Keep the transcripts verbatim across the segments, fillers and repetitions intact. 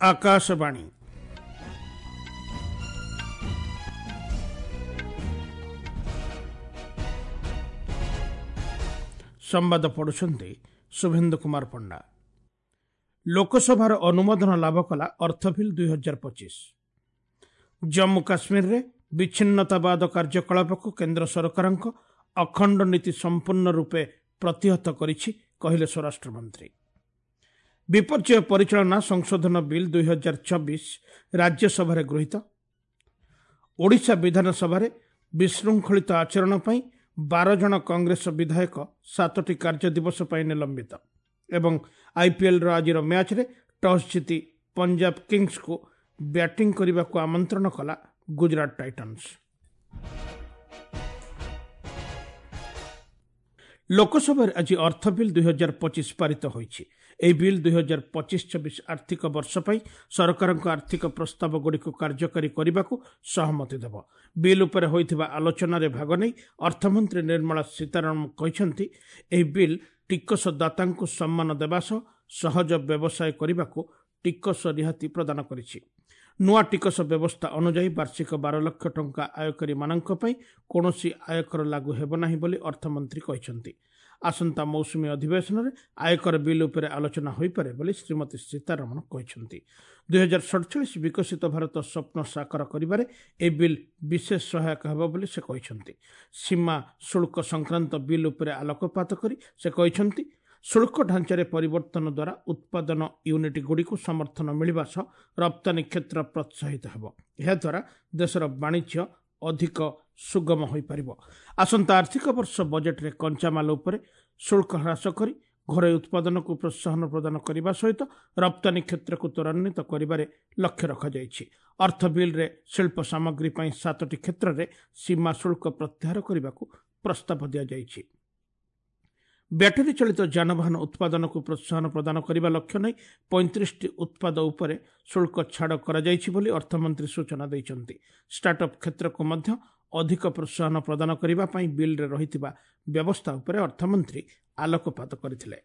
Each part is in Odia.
ଆକାଶବାଣୀ। ସମ୍ବାଦ ପଢୁଛନ୍ତି ଶୁଭେନ୍ଦୁ କୁମାର ପଣ୍ଡା। ଲୋକସଭାର ଅନୁମୋଦନ ଲାଭ କଲା ଅର୍ଥ ବିଲ୍ ଦୁଇ ହଜାର ପଚିଶ। ଜମ୍ମୁ କାଶ୍ମୀରରେ ବିଚ୍ଛିନ୍ନତାବାଦ କାର୍ଯ୍ୟକଳାପକୁ କେନ୍ଦ୍ର ସରକାରଙ୍କ ଅଖଣ୍ଡ ନୀତି ସମ୍ପୂର୍ଣ୍ଣ ରୂପେ ପ୍ରତିହତ କରିଛି, କହିଲେ ସ୍ୱରାଷ୍ଟ୍ରମନ୍ତ୍ରୀ। ବିପର୍ଯ୍ୟୟ ପରିଚାଳନା ସଂଶୋଧନ ବିଲ୍ ଦୁଇ ହଜାର ଚବିଶ ରାଜ୍ୟସଭାରେ ଗୃହୀତ। ଓଡ଼ିଶା ବିଧାନସଭାରେ ବିଶୃଙ୍ଖଳିତ ଆଚରଣ ପାଇଁ ବାର ଜଣ କଂଗ୍ରେସ ବିଧାୟକ ସାତଟି କାର୍ଯ୍ୟ ଦିବସ ପାଇଁ ନିଲମ୍ବିତ। ଏବଂ ଆଇପିଏଲ୍ର ଆଜିର ମ୍ୟାଚ୍ରେ ଟସ୍ ଜିତି ପଞ୍ଜାବ କିଙ୍ଗସକୁ ବ୍ୟାଟିଂ କରିବାକୁ ଆମନ୍ତ୍ରଣ କଲା ଗୁଜରାଟ ଟାଇଟନ୍ସ। ଲୋକସଭାରେ ଆଜି ଅର୍ଥ ବିଲ୍ ଦୁଇ ହଜାର ପଚିଶ ପାରିତ ହୋଇଛି। ଏହି ବିଲ୍ ଦୁଇ ହଜାର ପଚିଶ ଛବିଶ ଆର୍ଥିକ ବର୍ଷ ପାଇଁ ସରକାରଙ୍କ ଆର୍ଥିକ ପ୍ରସ୍ତାବଗୁଡ଼ିକୁ କାର୍ଯ୍ୟକାରୀ କରିବାକୁ ସହମତି ଦେବ। ବିଲ୍ ଉପରେ ହୋଇଥିବା ଆଲୋଚନାରେ ଭାଗ ନେଇ ଅର୍ଥମନ୍ତ୍ରୀ ନିର୍ମଳା ସୀତାରମଣ କହିଛନ୍ତି, ଏହି ବିଲ୍ ଟିକସଦାତାଙ୍କୁ ସମ୍ମାନ ଦେବା ସହ ସହଜ ବ୍ୟବସାୟ କରିବାକୁ ଟିକସ ରିହାତି ପ୍ରଦାନ କରିଛି। ନୂଆ ଟିକସ ବ୍ୟବସ୍ଥା ଅନୁଯାୟୀ ବାର୍ଷିକ ବାର ଲକ୍ଷ ଟଙ୍କା ଆୟକାରୀମାନଙ୍କ ପାଇଁ କୌଣସି ଆୟକର ଲାଗୁ ହେବ ନାହିଁ ବୋଲି ଅର୍ଥମନ୍ତ୍ରୀ କହିଛନ୍ତି। ଆସନ୍ତା ମୌସୁମୀ ଅଧିବେଶନରେ ଆୟକର ବିଲ୍ ଉପରେ ଆଲୋଚନା ହୋଇପାରେ ବୋଲି ଶ୍ରୀମତୀ ସୀତାରମଣ କହିଛନ୍ତି। ଦୁଇହଜାର ସଡ଼ଚାଳିଶ ବିକଶିତ ଭାରତ ସ୍ୱପ୍ନ ସାକାର କରିବାରେ ଏହି ବିଲ୍ ବିଶେଷ ସହାୟକ ହେବ ବୋଲି ସେ କହିଛନ୍ତି। ସୀମା ଶୁଳ୍କ ସଂକ୍ରାନ୍ତ ବିଲ୍ ଉପରେ ଆଲୋକପାତ କରି ସେ କହିଛନ୍ତି, ଶୁଳ୍କ ଢାଞ୍ଚାରେ ପରିବର୍ତ୍ତନ ଦ୍ୱାରା ଉତ୍ପାଦନ ୟୁନିଟ୍ଗୁଡ଼ିକୁ ସମର୍ଥନ ମିଳିବା ସହ ରପ୍ତାନୀ କ୍ଷେତ୍ର ପ୍ରୋତ୍ସାହିତ ହେବ। ଏହାଦ୍ୱାରା ଦେଶର ବାଣିଜ୍ୟ ଅଧିକ ସୁଗମ ହୋଇପାରିବ। ଆସନ୍ତା ଆର୍ଥିକ ବର୍ଷ ବଜେଟ୍ରେ କଞ୍ଚାମାଲ ଉପରେ ଶୁଳ୍କ ହ୍ରାସ କରି ଘରୋଇ ଉତ୍ପାଦନକୁ ପ୍ରୋତ୍ସାହନ ପ୍ରଦାନ କରିବା ସହିତ ରପ୍ତାନୀ କ୍ଷେତ୍ରକୁ ତ୍ୱରାନ୍ୱିତ କରିବାରେ ଲକ୍ଷ୍ୟ ରଖାଯାଇଛି। ଅର୍ଥ ବିଲ୍ରେ ଶିଳ୍ପ ସାମଗ୍ରୀ ପାଇଁ ସାତଟି କ୍ଷେତ୍ରରେ ସୀମା ଶୁଳ୍କ ପ୍ରତ୍ୟାହାର କରିବାକୁ ପ୍ରସ୍ତାବ ଦିଆଯାଇଛି। ବ୍ୟାଟେରୀ ଚାଳିତ ଯାନବାହନ ଉତ୍ପାଦନକୁ ପ୍ରୋତ୍ସାହନ ପ୍ରଦାନ କରିବା ଲକ୍ଷ୍ୟ ନେଇ ପଇଁତିରିଶଟି ଉତ୍ପାଦ ଉପରେ ଶୁଳ୍କ ଛାଡ଼ କରାଯାଇଛି ବୋଲି ଅର୍ଥମନ୍ତ୍ରୀ ସୂଚନା ଦେଇଛନ୍ତି। ଷ୍ଟାର୍ଟଅପ୍ କ୍ଷେତ୍ରକୁ ମଧ୍ୟ ଅଧିକ ପ୍ରୋତ୍ସାହନ ପ୍ରଦାନ କରିବା ପାଇଁ ବିଲ୍ରେ ରହିଥିବା ବ୍ୟବସ୍ଥା ଉପରେ ଅର୍ଥମନ୍ତ୍ରୀ ଆଲୋକପାତ କରିଥିଲେ।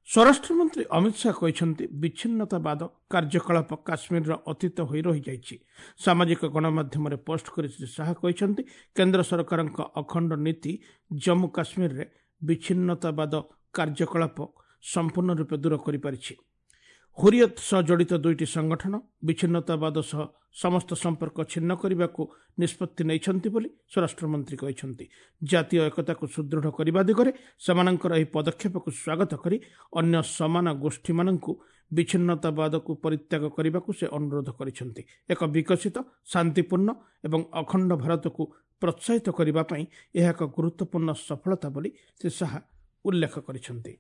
ସ୍ୱରାଷ୍ଟ୍ରମନ୍ତ୍ରୀ ଅମିତ ଶାହା କହିଛନ୍ତି, ବିଚ୍ଛିନ୍ନତାବାଦ କାର୍ଯ୍ୟକଳାପ କାଶ୍ମୀରର ଅତୀତ ହୋଇ ରହିଯାଇଛି। ସାମାଜିକ ଗଣମାଧ୍ୟମରେ ପୋଷ୍ଟ କରି ଶ୍ରୀ ଶାହା କହିଛନ୍ତି, କେନ୍ଦ୍ର ସରକାରଙ୍କ ଅଖଣ୍ଡ ନୀତି ଜମ୍ମୁ କାଶ୍ମୀରରେ ବିଚ୍ଛିନ୍ନତାବାଦ କାର୍ଯ୍ୟକଳାପ ସମ୍ପୂର୍ଣ୍ଣ ରୂପେ ଦୂର କରିପାରିଛି। ହୁରିୟତ ସହ ଜଡ଼ିତ ଦୁଇଟି ସଂଗଠନ ବିଚ୍ଛିନ୍ନତାବାଦ ସହ ସମସ୍ତ ସମ୍ପର୍କ ଛିନ୍ନ କରିବାକୁ ନିଷ୍ପତ୍ତି ନେଇଛନ୍ତି ବୋଲି ସ୍ୱରାଷ୍ଟ୍ରମନ୍ତ୍ରୀ କହିଛନ୍ତି। ଜାତୀୟ ଏକତାକୁ ସୁଦୃଢ଼ କରିବା ଦିଗରେ ସେମାନଙ୍କର ଏହି ପଦକ୍ଷେପକୁ ସ୍ୱାଗତ କରି ଅନ୍ୟ ସମାନ ଗୋଷ୍ଠୀମାନଙ୍କୁ ବିଚ୍ଛିନ୍ନତାବାଦକୁ ପରିତ୍ୟାଗ କରିବାକୁ ସେ ଅନୁରୋଧ କରିଛନ୍ତି। ଏକ ବିକଶିତ, ଶାନ୍ତିପୂର୍ଣ୍ଣ ଏବଂ ଅଖଣ୍ଡ ଭାରତକୁ ପ୍ରୋତ୍ସାହିତ କରିବା ପାଇଁ ଏହା ଏକ ଗୁରୁତ୍ୱପୂର୍ଣ୍ଣ ସଫଳତା ବୋଲି ଶ୍ରୀ ଶାହା ଉଲ୍ଲେଖ କରିଛନ୍ତି।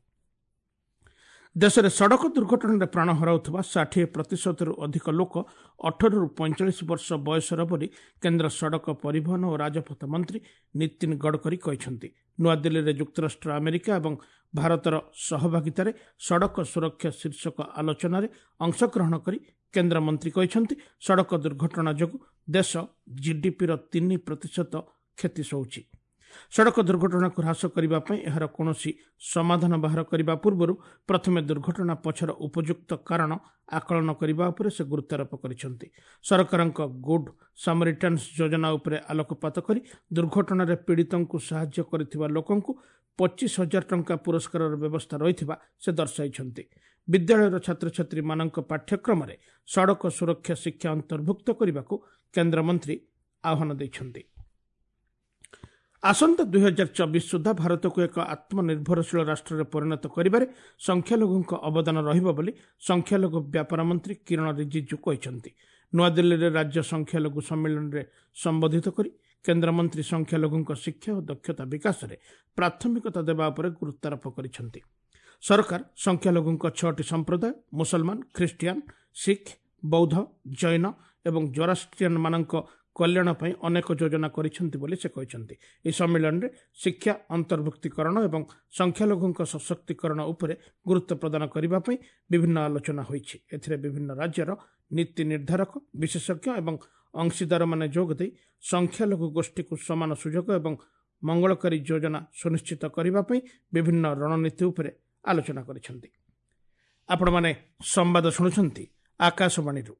ଦେଶରେ ସଡ଼କ ଦୁର୍ଘଟଣାରେ ପ୍ରାଣ ହରାଉଥିବା ଷାଠିଏ ପ୍ରତିଶତରୁ ଅଧିକ ଲୋକ ଅଠରରୁ ପଇଁଚାଳିଶ ବର୍ଷ ବୟସର ବୋଲି କେନ୍ଦ୍ର ସଡ଼କ ପରିବହନ ଓ ରାଜପଥ ମନ୍ତ୍ରୀ ନୀତିନ ଗଡ଼କରୀ କହିଛନ୍ତି। ନୂଆଦିଲ୍ଲୀରେ ଯୁକ୍ତରାଷ୍ଟ୍ର ଆମେରିକା ଏବଂ ଭାରତର ସହଭାଗିତାରେ ସଡ଼କ ସୁରକ୍ଷା ଶୀର୍ଷକ ଆଲୋଚନାରେ ଅଂଶଗ୍ରହଣ କରି କେନ୍ଦ୍ରମନ୍ତ୍ରୀ କହିଛନ୍ତି, ସଡ଼କ ଦୁର୍ଘଟଣା ଯୋଗୁଁ ଦେଶ ଜିଡିପିର ତିନି ପ୍ରତିଶତ କ୍ଷତି ସହୁଛି। ସଡ଼କ ଦୁର୍ଘଟଣାକୁ ହ୍ରାସ କରିବା ପାଇଁ ଏହାର କୌଣସି ସମାଧାନ ବାହାର କରିବା ପୂର୍ବରୁ ପ୍ରଥମେ ଦୁର୍ଘଟଣା ପଛର ଉପଯୁକ୍ତ କାରଣ ଆକଳନ କରିବା ଉପରେ ସେ ଗୁରୁତ୍ୱାରୋପ କରିଛନ୍ତି। ସରକାରଙ୍କ ଗୁଡ୍ ସାମରିଟାନ୍ସ ଯୋଜନା ଉପରେ ଆଲୋକପାତ କରି ଦୁର୍ଘଟଣାରେ ପୀଡ଼ିତଙ୍କୁ ସାହାଯ୍ୟ କରିଥିବା ଲୋକଙ୍କୁ ପଚିଶ ହଜାର ଟଙ୍କା ପୁରସ୍କାରର ବ୍ୟବସ୍ଥା ରହିଥିବା ସେ ଦର୍ଶାଇଛନ୍ତି। ବିଦ୍ୟାଳୟର ଛାତ୍ରଛାତ୍ରୀମାନଙ୍କ ପାଠ୍ୟକ୍ରମରେ ସଡ଼କ ସୁରକ୍ଷା ଶିକ୍ଷା ଅନ୍ତର୍ଭୁକ୍ତ କରିବାକୁ କେନ୍ଦ୍ରମନ୍ତ୍ରୀ ଆହ୍ୱାନ ଦେଇଛନ୍ତି। ଆସନ୍ତା ଦୁଇ ହଜାର ଚବିଶ ସୁଦ୍ଧା ଭାରତକୁ ଏକ ଆତ୍ମନିର୍ଭରଶୀଳ ରାଷ୍ଟ୍ରରେ ପରିଣତ କରିବାରେ ସଂଖ୍ୟାଲଘୁଙ୍କ ଅବଦାନ ରହିବ ବୋଲି ସଂଖ୍ୟାଲଘୁ ବ୍ୟାପାର ମନ୍ତ୍ରୀ କିରଣ ରିଜିଜୁ କହିଛନ୍ତି। ନୂଆଦିଲ୍ଲୀରେ ରାଜ୍ୟ ସଂଖ୍ୟାଲଘୁ ସମ୍ମିଳନୀରେ ସମ୍ବୋଧିତ କରି କେନ୍ଦ୍ରମନ୍ତ୍ରୀ ସଂଖ୍ୟାଲଘୁଙ୍କ ଶିକ୍ଷା ଓ ଦକ୍ଷତା ବିକାଶରେ ପ୍ରାଥମିକତା ଦେବା ଉପରେ ଗୁରୁତ୍ୱାରୋପ କରିଛନ୍ତି। ସରକାର ସଂଖ୍ୟାଲଘୁଙ୍କ ଛଅଟି ସମ୍ପ୍ରଦାୟ ମୁସଲମାନ, ଖ୍ରୀଷ୍ଟିଆନ, ଶିଖ, ବୌଦ୍ଧ, ଜୈନ ଏବଂ ଜୋରାଷ୍ଟ୍ରିଆନମାନଙ୍କ କଲ୍ୟାଣ ପାଇଁ ଅନେକ ଯୋଜନା କରିଛନ୍ତି ବୋଲି ସେ କହିଛନ୍ତି। ଏହି ସମ୍ମିଳନୀରେ ଶିକ୍ଷା, ଅନ୍ତର୍ଭୁକ୍ତୀକରଣ ଏବଂ ସଂଖ୍ୟାଲଘୁଙ୍କ ସଶକ୍ତିକରଣ ଉପରେ ଗୁରୁତ୍ୱ ପ୍ରଦାନ କରିବା ପାଇଁ ବିଭିନ୍ନ ଆଲୋଚନା ହୋଇଛି। ଏଥିରେ ବିଭିନ୍ନ ରାଜ୍ୟର ନୀତି ନିର୍ଦ୍ଧାରକ, ବିଶେଷଜ୍ଞ ଏବଂ ଅଂଶୀଦାରମାନେ ଯୋଗଦେଇ ସଂଖ୍ୟାଲଘୁ ଗୋଷ୍ଠୀକୁ ସମାନ ସୁଯୋଗ ଏବଂ ମଙ୍ଗଳକାରୀ ଯୋଜନା ସୁନିଶ୍ଚିତ କରିବା ପାଇଁ ବିଭିନ୍ନ ରଣନୀତି ଉପରେ ଆଲୋଚନା କରିଛନ୍ତି। ଆପଣମାନେ ସମ୍ବାଦ ଶୁଣୁଛନ୍ତି ଆକାଶବାଣୀରୁ।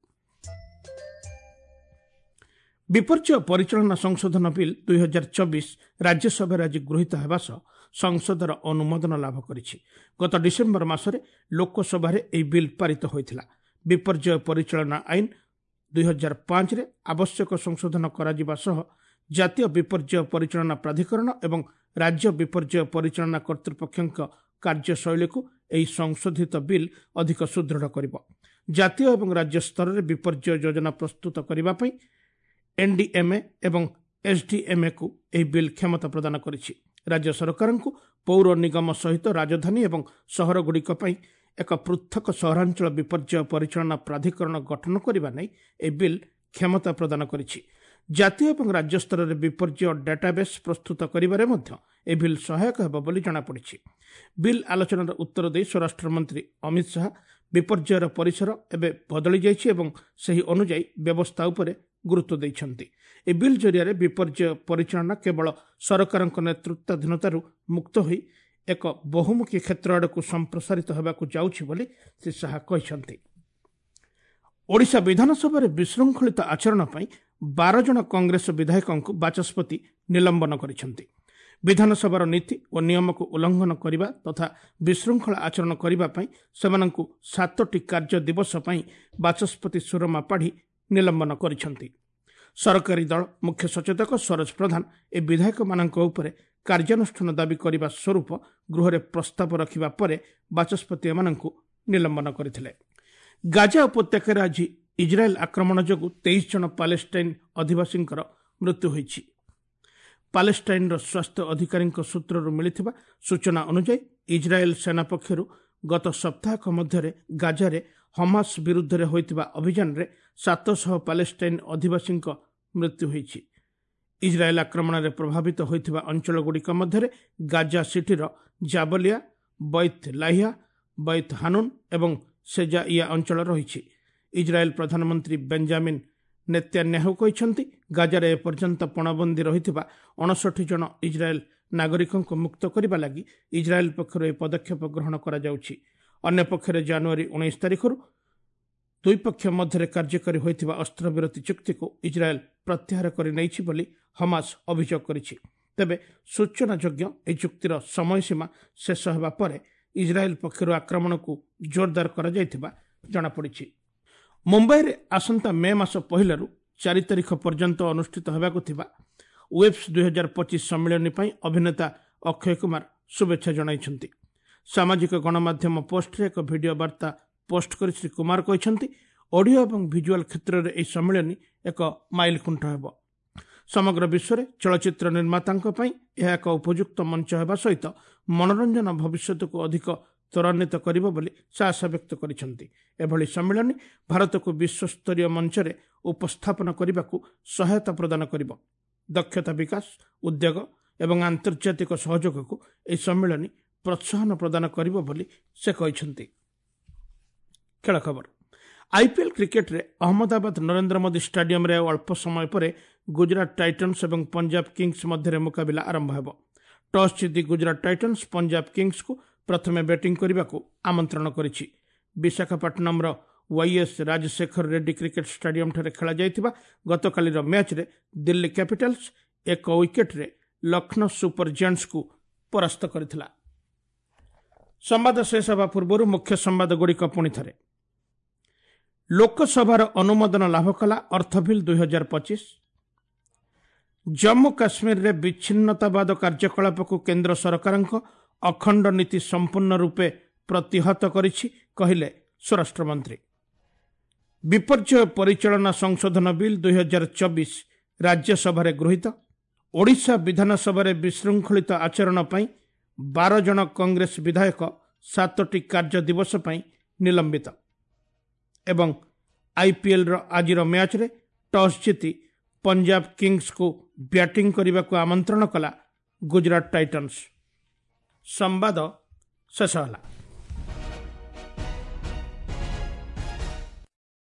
ବିପର୍ଯ୍ୟୟ ପରିଚାଳନା ସଂଶୋଧନ ବିଲ୍ ଦୁଇ ହଜାର ଚବିଶ ରାଜ୍ୟସଭାରେ ଆଜି ଗୃହୀତ ହେବା ସହ ସଂସଦର ଅନୁମୋଦନ ଲାଭ କରିଛି। ଗତ ଡିସେମ୍ବର ମାସରେ ଲୋକସଭାରେ ଏହି ବିଲ୍ ପାରିତ ହୋଇଥିଲା। ବିପର୍ଯ୍ୟୟ ପରିଚାଳନା ଆଇନ ଦୁଇ ହଜାର ପାଞ୍ଚରେ ଆବଶ୍ୟକ ସଂଶୋଧନ କରାଯିବା ସହ ଜାତୀୟ ବିପର୍ଯ୍ୟୟ ପରିଚାଳନା ପ୍ରାଧିକରଣ ଏବଂ ରାଜ୍ୟ ବିପର୍ଯ୍ୟୟ ପରିଚାଳନା କର୍ତ୍ତୃପକ୍ଷଙ୍କ କାର୍ଯ୍ୟଶୈଳୀକୁ ଏହି ସଂଶୋଧିତ ବିଲ୍ ଅଧିକ ସୁଦୃଢ଼ କରିବ। ଜାତୀୟ ଏବଂ ରାଜ୍ୟ ସ୍ତରରେ ବିପର୍ଯ୍ୟୟ ଯୋଜନା ପ୍ରସ୍ତୁତ କରିବା ପାଇଁ ଏନ୍ଡିଏମ୍ଏ ଏବଂ ଏସ୍ଡିଏମ୍ଏକୁ ଏହି ବିଲ୍ କ୍ଷମତା ପ୍ରଦାନ କରିଛି। ରାଜ୍ୟ ସରକାରଙ୍କୁ ପୌର ନିଗମ ସହିତ ରାଜଧାନୀ ଏବଂ ସହରଗୁଡ଼ିକ ପାଇଁ ଏକ ପୃଥକ ସହରାଞ୍ଚଳ ବିପର୍ଯ୍ୟୟ ପରିଚାଳନା ପ୍ରାଧିକରଣ ଗଠନ କରିବା ନେଇ ଏହି ବିଲ୍ କ୍ଷମତା ପ୍ରଦାନ କରିଛି। ଜାତୀୟ ଏବଂ ରାଜ୍ୟ ସ୍ତରରେ ବିପର୍ଯ୍ୟୟ ଡାଟାବେସ୍ ପ୍ରସ୍ତୁତ କରିବାରେ ମଧ୍ୟ ଏହି ବିଲ୍ ସହାୟକ ହେବ ବୋଲି ଜଣାପଡ଼ିଛି। ବିଲ୍ ଆଲୋଚନାର ଉତ୍ତର ଦେଇ ସ୍ୱରାଷ୍ଟ୍ରମନ୍ତ୍ରୀ ଅମିତ ଶାହା ବିପର୍ଯ୍ୟୟର ପରିସର ଏବେ ବଦଳି ଯାଇଛି ଏବଂ ସେହି ଅନୁଯାୟୀ ବ୍ୟବସ୍ଥା ଉପରେ ଗୁରୁତ୍ୱ ଦେଇଛନ୍ତି। ଏହି ବିଲ୍ ଜରିଆରେ ବିପର୍ଯ୍ୟୟ ପରିଚାଳନା କେବଳ ସରକାରଙ୍କ ନେତୃତ୍ୱାଧୀନତାରୁ ମୁକ୍ତ ହୋଇ ଏକ ବହୁମୁଖୀ କ୍ଷେତ୍ର ଆଡ଼କୁ ସମ୍ପ୍ରସାରିତ ହେବାକୁ ଯାଉଛି ବୋଲି ଶ୍ରୀ ଶାହା କହିଛନ୍ତି। ଓଡ଼ିଶା ବିଧାନସଭାରେ ବିଶୃଙ୍ଖଳିତ ଆଚରଣ ପାଇଁ ବାର ଜଣ କଂଗ୍ରେସ ବିଧାୟକଙ୍କୁ ବାଚସ୍ପତି ନିଲମ୍ବନ କରିଛନ୍ତି। ବିଧାନସଭାର ନୀତି ଓ ନିୟମକୁ ଉଲ୍ଲଂଘନ କରିବା ତଥା ବିଶୃଙ୍ଖଳା ଆଚରଣ କରିବା ପାଇଁ ସେମାନଙ୍କୁ ସାତଟି କାର୍ଯ୍ୟ ଦିବସ ପାଇଁ ବାଚସ୍ପତି ସୁରମା ପାଢ଼ୀ ନିଲମ୍ବନ କରିଛନ୍ତି। ସରକାରୀ ଦଳ ମୁଖ୍ୟ ସଚେତକ ସରୋଜ ପ୍ରଧାନ ଏ ବିଧାୟକମାନଙ୍କ ଉପରେ କାର୍ଯ୍ୟାନୁଷ୍ଠାନ ଦାବି କରିବା ସ୍ୱରୂପ ଗୃହରେ ପ୍ରସ୍ତାବ ରଖିବା ପରେ ବାଚସ୍ପତି ଏମାନଙ୍କୁ ନିଲମ୍ବନ କରିଥିଲେ। ଗାଜା ଉପତ୍ୟକାରେ ଆଜି ଇଜ୍ରାଏଲ୍ ଆକ୍ରମଣ ଯୋଗୁଁ ତେଇଶ ଜଣ ପାଲେଷ୍ଟାଇନ୍ ଅଧିବାସୀଙ୍କର ମୃତ୍ୟୁ ହୋଇଛି। ପାଲେଷ୍ଟାଇନ୍ର ସ୍ୱାସ୍ଥ୍ୟ ଅଧିକାରୀଙ୍କ ସୂତ୍ରରୁ ମିଳିଥିବା ସୂଚନା ଅନୁଯାୟୀ ଇଜ୍ରାଏଲ୍ ସେନା ପକ୍ଷରୁ ଗତ ସପ୍ତାହକ ମଧ୍ୟରେ ଗାଜାରେ ହମାସ ବିରୁଦ୍ଧରେ ହୋଇଥିବା ଅଭିଯାନରେ ସାତଶହ ପାଲେଷ୍ଟାଇନ୍ ଅଧିବାସୀଙ୍କ ମୃତ୍ୟୁ ହୋଇଛି। ଇଜ୍ରାଏଲ୍ ଆକ୍ରମଣରେ ପ୍ରଭାବିତ ହୋଇଥିବା ଅଞ୍ଚଳଗୁଡ଼ିକ ମଧ୍ୟରେ ଗାଜା ସିଟିର ଜାବଲିଆ, ବୈତ୍ ଲାହିଆ, ବୈତ୍ ହାନୁନ୍ ଏବଂ ସେଜାଇଆ ଅଞ୍ଚଳ ରହିଛି। ଇଜ୍ରାଏଲ୍ ପ୍ରଧାନମନ୍ତ୍ରୀ ବେଞ୍ଜାମିନ୍ ନେତ୍ୟାନ୍ୟାହୁ କହିଛନ୍ତି, ଗାଜାରେ ଏପର୍ଯ୍ୟନ୍ତ ପଣବନ୍ଦୀ ରହିଥିବା ଅଣଷଠି ଜଣ ଇଜ୍ରାଏଲ୍ ନାଗରିକଙ୍କୁ ମୁକ୍ତ କରିବା ଲାଗି ଇଜ୍ରାଏଲ୍ ପକ୍ଷରୁ ଏହି ପଦକ୍ଷେପ ଗ୍ରହଣ କରାଯାଉଛି। ଅନ୍ୟପକ୍ଷରେ ଜାନୁଆରୀ ଉଣେଇଶ ତାରିଖରୁ ଦୁଇ ପକ୍ଷ ମଧ୍ୟରେ କାର୍ଯ୍ୟକାରୀ ହୋଇଥିବା ଅସ୍ତ୍ରବିରତି ଚୁକ୍ତିକୁ ଇଜ୍ରାଏଲ୍ ପ୍ରତ୍ୟାହାର କରିନେଇଛି ବୋଲି ହମାସ ଅଭିଯୋଗ କରିଛି। ତେବେ ସୂଚନାଯୋଗ୍ୟ, ଏହି ଚୁକ୍ତିର ସମୟସୀମା ଶେଷ ହେବା ପରେ ଇଜ୍ରାଏଲ୍ ପକ୍ଷରୁ ଆକ୍ରମଣକୁ ଜୋରଦାର କରାଯାଇଥିବା ଜଣାପଡ଼ିଛି। ମୁମ୍ବାଇରେ ଆସନ୍ତା ମେ ମାସ ପହିଲାରୁ ଚାରି ତାରିଖ ପର୍ଯ୍ୟନ୍ତ ଅନୁଷ୍ଠିତ ହେବାକୁ ଥିବା ୱେବ୍ସ ଦୁଇ ହଜାର ପଚିଶ ସମ୍ମିଳନୀ ପାଇଁ ଅଭିନେତା ଅକ୍ଷୟ କୁମାର ଶୁଭେଚ୍ଛା ଜଣାଇଛନ୍ତି। ସାମାଜିକ ଗଣମାଧ୍ୟମ ପୋଷ୍ଟରେ ଏକ ଭିଡିଓ ବାର୍ତ୍ତା ପୋଷ୍ଟ କରି ଶ୍ରୀ କୁମାର କହିଛନ୍ତି, ଅଡିଓ ଏବଂ ଭିଜୁଆଲ କ୍ଷେତ୍ରରେ ଏହି ସମ୍ମିଳନୀ ଏକ ମାଇଲଖୁଣ୍ଟ ହେବ। ସମଗ୍ର ବିଶ୍ୱରେ ଚଳଚ୍ଚିତ୍ର ନିର୍ମାତାଙ୍କ ପାଇଁ ଏହା ଏକ ଉପଯୁକ୍ତ ମଞ୍ଚ ହେବା ସହିତ ମନୋରଞ୍ଜନ ଭବିଷ୍ୟତକୁ ଅଧିକ ତ୍ୱରାନ୍ୱିତ କରିବ ବୋଲି ସେ ଆଶା ବ୍ୟକ୍ତ କରିଛନ୍ତି। ଏଭଳି ସମ୍ମିଳନୀ ଭାରତକୁ ବିଶ୍ୱସ୍ତରୀୟ ମଞ୍ଚରେ ଉପସ୍ଥାପନ କରିବାକୁ ସହାୟତା ପ୍ରଦାନ କରିବ। ଦକ୍ଷତା ବିକାଶ, ଉଦ୍ୟୋଗ ଏବଂ ଆନ୍ତର୍ଜାତିକ ସହଯୋଗକୁ ଏହି ସମ୍ମିଳନୀ ପ୍ରୋତ୍ସାହନ ପ୍ରଦାନ କରିବ ବୋଲି ସେ କହିଛନ୍ତି। ଖେଳ ଖବର। ଆଇପିଏଲ୍ କ୍ରିକେଟରେ ଅହମ୍ମଦାବାଦ ନରେନ୍ଦ୍ର ମୋଦି ଷ୍ଟାଡିୟମରେ ଆଉ ଅଳ୍ପ ସମୟ ପରେ ଗୁଜରାଟ ଟାଇଟନ୍ସ ଏବଂ ପଞ୍ଜାବ କିଙ୍ଗସ୍ ମଧ୍ୟରେ ମୁକାବିଲା ଆରମ୍ଭ ହେବ। ଟସ୍ ଜିତି ଗୁଜରାଟ ଟାଇଟନ୍ସ ପଞ୍ଜାବ କିଙ୍ଗସ୍କୁ ପ୍ରଥମେ ବ୍ୟାଟିଂ କରିବାକୁ ଆମନ୍ତ୍ରଣ କରିଛି। ବିଶାଖାପାଟନମର ୱାଇଏସ୍ ରାଜଶେଖର ରେଡ୍ଡି କ୍ରିକେଟ ଷ୍ଟାଡିୟମଠାରେ ଖେଳାଯାଇଥିବା ଗତକାଲିର ମ୍ୟାଚ୍ରେ ଦିଲ୍ଲୀ କ୍ୟାପିଟାଲ୍ସ ଏକ ୱିକେଟରେ ଲକ୍ଷ୍ନୌ ସୁପର ଜାଏଣ୍ଟସ୍କୁ ପରାସ୍ତ କରିଥିଲା। ସମ୍ବାଦ ଶେଷ ହେବା ପୂର୍ବରୁ ମୁଖ୍ୟ ସମ୍ବାଦଗୁଡ଼ିକ ପୁଣି ଥରେ। ଲୋକସଭାର ଅନୁମୋଦନ ଲାଭ କଲା ଅର୍ଥ ବିଲ୍ ଦୁଇ ହଜାର ପଚିଶ। ଜମ୍ମୁ କାଶ୍ମୀରରେ ବିଚ୍ଛିନ୍ନତାବାଦ କାର୍ଯ୍ୟକଳାପକୁ କେନ୍ଦ୍ର ସରକାରଙ୍କ ଅଖଣ୍ଡ ନୀତି ସମ୍ପୂର୍ଣ୍ଣ ରୂପେ ପ୍ରତିହତ କରିଛି, କହିଲେ ସ୍ୱରାଷ୍ଟ୍ରମନ୍ତ୍ରୀ। ବିପର୍ଯ୍ୟୟ ପରିଚାଳନା ସଂଶୋଧନ ବିଲ୍ ଦୁଇ ହଜାର ଚବିଶ ରାଜ୍ୟସଭାରେ ଗୃହୀତ। ଓଡ଼ିଶା ବିଧାନସଭାରେ ବିଶୃଙ୍ଖଳିତ ଆଚରଣ ପାଇଁ ବାର ଜଣ କଂଗ୍ରେସ ବିଧାୟକ ସାତଟି କାର୍ଯ୍ୟ ଦିବସ ପାଇଁ ନିଲମ୍ବିତ। ଏବଂ ଆଇପିଏଲ୍ର ଆଜିର ମ୍ୟାଚ୍ରେ ଟସ୍ ଜିତି ପଞ୍ଜାବ କିଙ୍ଗସ୍କୁ ବ୍ୟାଟିଂ କରିବାକୁ ଆମନ୍ତ୍ରଣ କଲା ଗୁଜରାଟ ଟାଇଟନ୍ସ। ସମ୍ବାଦ ଶେଷ ହେଲା।